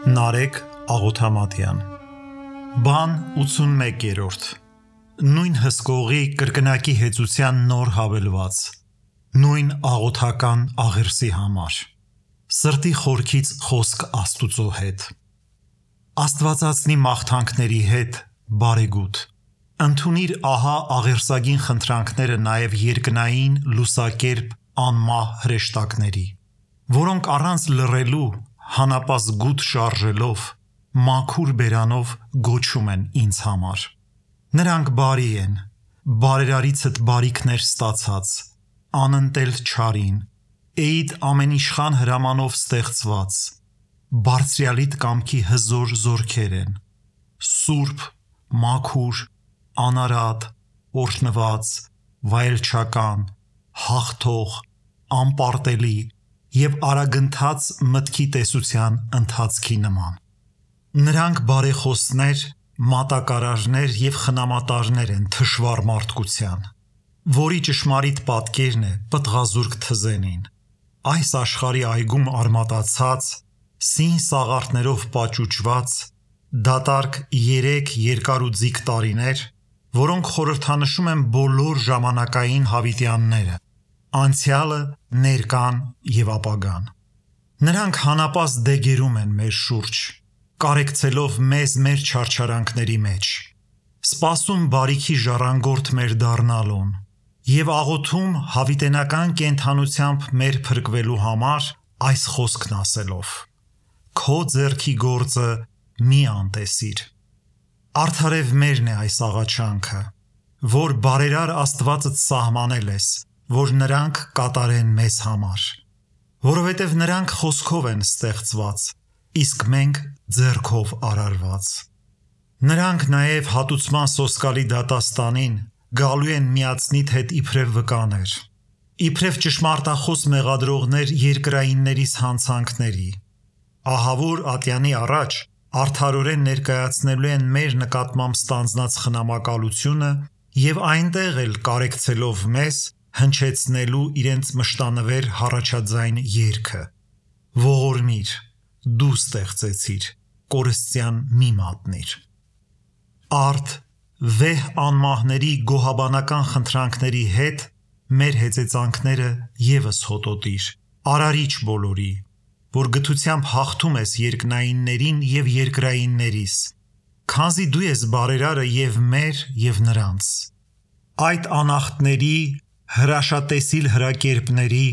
Նարեկ Աղոթամատյան Բան 81-րդ Նույն հսկողի կրկնակի հեծության նոր հավելված Նույն աղոթական աղերսի համար Սրտի խորքից խոսք Աստուծո հետ Աստվածածնի մաղթանքների հետ բարեգութ Ընդունիր ահա աղերսագին խնդրանքները նաև երկնային լուսակերպ անմահ հրեշտակների Որոնք առանց լռելու հանապազ գութ շարժելով մաքուր բերանով գոչում են ինձ համար Նրանք բարի են բարերարիցդ բարիքներ ստացած անընտել չարին էիդ ամենիշխան հրամանով ստեղծված բարձրյալիդ կամքի հզոր զորքեր են սուրբ մաքուր անարատ օրհնված վայելչական հաղթող անպարտելի և արագընթաց մտքի տեսության ընթացքի նման Նրանք բարեխոսներ մատակարարներ և խնամատարներ են թշվառ մարդկության որի ճշմարիտ պատկերն է պտղազուրկ թզենին այս աշխարհի այգում արմատացած սին սաղարթներով պաճուճված դատարկ 3 երկար ու ձիգ տարիներ որոնք խորհրդանշում են բոլոր ժամանակային հավիտյանները անցյալը, ներկան և ապագան Նրանք հանապազ դեգերում են մեր շուրջ կարեկցելով մեզ մեր չարչարանքների մեջ սպասում բարիքի ժառանգորդ մեր դառնալուն և աղոթում հավիտենական կենդանությամբ մեր փրկվելու համար այս խոսքն ասելով Քո ձեռքի գործը մի անտեսիր Արդարև մերն է այս աղաչանքը որ բարերար Աստվածդ սահմանել ես որ նրանք կատարեն մեզ համար որովհետև նրանք խոսքով են ստեղծված իսկ մենք ձեռքով արարված Նրանք նաև հատուցման սոսկալի դատաստանին գալու են միացնիդ հետ իբրև վկաներ իբրև ճշմարտախոս մեղադրողներ երկրայիններիս հանցանքների ահավոր ատյանի առաջ արդարորեն ներկայացնելու են մեր նկատմամբ ստանձնած խնամակալությունը և այնտեղ էլ կարեկցելով մեզ հնչեցնելու իրենց մշտանվեր հառաջաձայն երգը Ողորմիր դու ստեղծեցիր կորստյան մի մատնիր Արդ վեհ անմահների գոհաբանական խնդրանքների հետ մեր հեծեծանքները ևս հոտոտիր արարիչ բոլորի որ գթությամբ հաղթում ես երկնայիններին և երկրայիններիս քանզի դու ես բարերարը և մեր և նրանց Այդ անախտների հրաշատեսիլ հրակերպների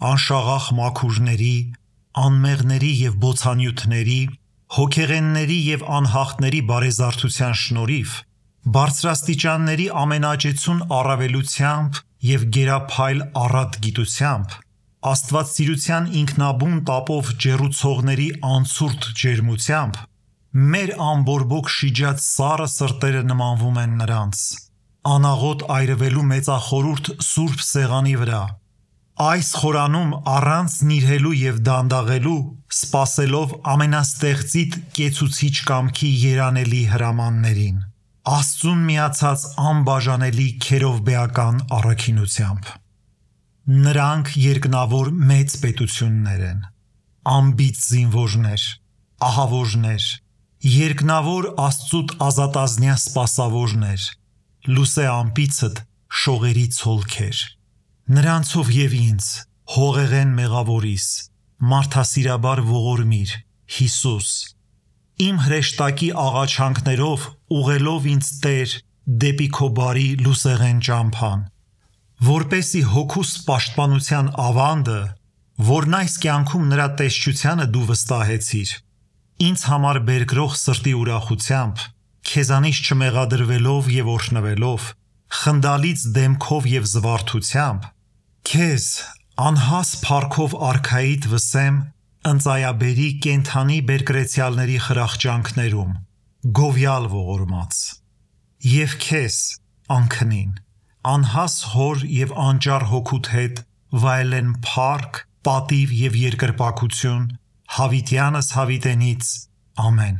անշաղախ մաքուրների անմեղների և բոցանյութերի հոգեղենների և անհաղթների բարեզարդության շնորհիվ բարձրաստիճանների ամենաճեցուն առավելությամբ և գերափայլ առատ գիտությամբ աստվածասիրության ինքնաբուն տապով ջեռուցողների անցուրդ ջերմությամբ մեր ամբորբոք շիջած սառը սրտերը նմանվում են նրանց անաղոտ այրվելու մեծախորհուրդ սուրբ սեղանի վրա այս խորանում առանց նիրհելու և դանդաղելու սպասելով ամենաստեղծիդ կեցուցիչ կամքի երանելի հրամաններին Աստծուն միացած անբաժանելի քերովբեական առաքինությամբ Նրանք երկնավոր մեծ պետություններ են անբիծ զինվորներ ահավորներ երկնավոր Աստծուդ ազատազնյա սպասավորներ լուսե ամպիցդ շողերի ցոլքեր Նրանցով և ինձ հողեղեն մեղավորիս մարդասիրաբար ողորմիր Հիսուս Իմ հրեշտակի աղաչանքներով ուղղելով ինձ Տեր դեպի քո բարի լուսեղեն ճամփան որպեսզի հոգուս պաշտպանության ավանդը որն այս կյանքում նրա տեսչությանը դու վստահեցիր ինձ համար բերկրող սրտի ուրախությամբ քեզանից չմեղադրվելով և օրհնվելով խնդալից դեմքով և զվարթությամբ քեզ անհաս փառքով արքայիդ վսեմ ընծայաբերի կենդանի բերկրեցյալների խրախճանքներում գովյալ ողորմած և քեզ անքնին անհաս հոր և անճար հոգուդ հետ վայելեն փառք պատիվ և երկրպագություն հավիտյանս հավիտենից ամեն